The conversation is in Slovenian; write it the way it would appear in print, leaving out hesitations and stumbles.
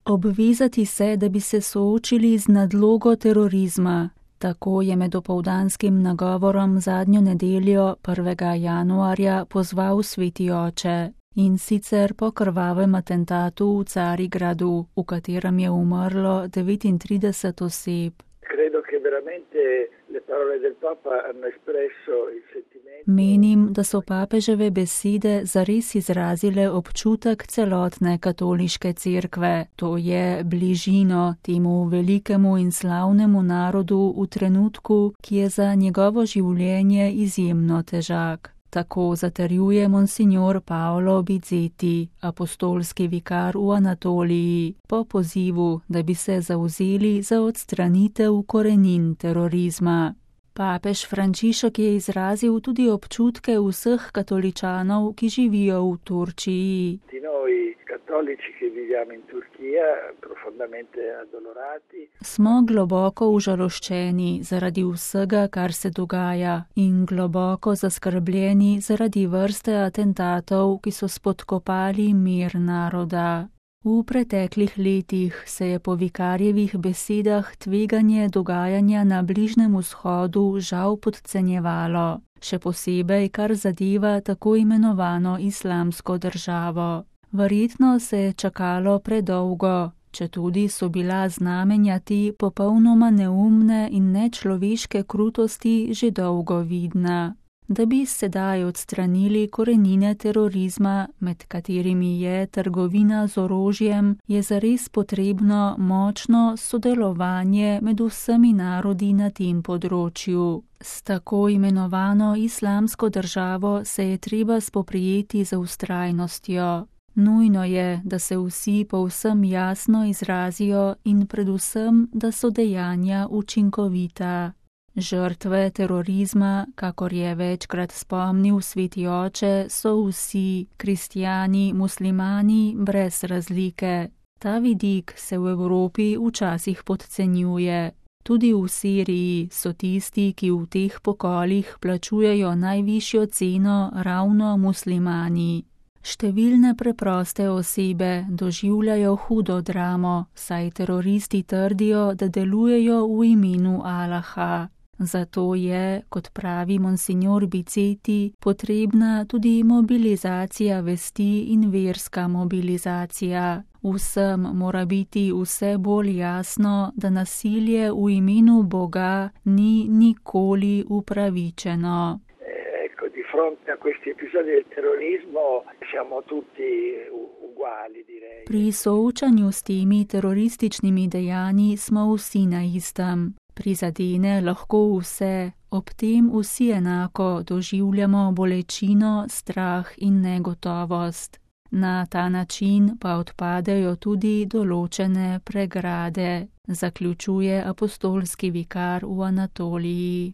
Obvezati se, da bi se soočili z nadlogo terorizma. Tako je med opoldanskim nagovorom zadnjo nedeljo 1. januarja pozval sveti oče. In sicer po krvavem atentatu v Carigradu, v katerem je umrlo 39 oseb. Menim, da so papeževe besede zares izrazile občutek celotne katoliške cerkve, to je bližino temu velikemu in slavnemu narodu v trenutku, ki je za njegovo življenje izjemno težak. Tako zatrjuje monsignor Paolo Bizzetti, apostolski vikar v Anatoliji, po pozivu, da bi se zavzeli za odstranitev korenin terorizma. Papež Frančišek je izrazil tudi občutke vseh katoličanov, ki živijo v Turčiji. Smo globoko užaloščeni zaradi vsega, kar se dogaja, in globoko zaskrbljeni zaradi vrste atentatov, ki so spodkopali mir naroda. V preteklih letih se je po vikarjevih besedah tveganje dogajanja na Bližnjem vzhodu žal podcenjevalo, še posebej kar zadeva tako imenovano islamsko državo. Verjetno se je čakalo predolgo, četudi so bila znamenja te popolnoma neumne in nečloveške krutosti že dolgo vidna. Da bi sedaj odstranili korenine terorizma, med katerimi je trgovina z orožjem, je zares potrebno močno sodelovanje med vsemi narodi na tem področju. S tako imenovano islamsko državo se je treba spoprijeti z vztrajnostjo. Nujno je, da se vsi povsem jasno izrazijo in predvsem, da so dejanja učinkovita. Žrtve terorizma, kakor je večkrat spomnil sveti oče, so vsi, kristjani, muslimani, brez razlike. Ta vidik se v Evropi včasih podcenjuje. Tudi v Siriji so tisti, ki v teh pokolih plačujejo najvišjo ceno, ravno muslimani. Številne preproste osebe doživljajo hudo dramo, saj teroristi trdijo, da delujejo v imenu Allaha. Zato je, kot pravi monsignor Bizzetti, potrebna tudi mobilizacija vesti in verska mobilizacija. Vsem mora biti vse bolj jasno, da nasilje v imenu Boga ni nikoli upravičeno. Di fronte a questi episodi del terrorismo siamo tutti uguali, direi. Pri soočanju s temi terorističnimi dejanji smo vsi na istem. Prizadene lahko vse, ob tem vsi enako doživljamo bolečino, strah in negotovost. Na ta način pa odpadejo tudi določene pregrade, zaključuje apostolski vikar v Anatoliji.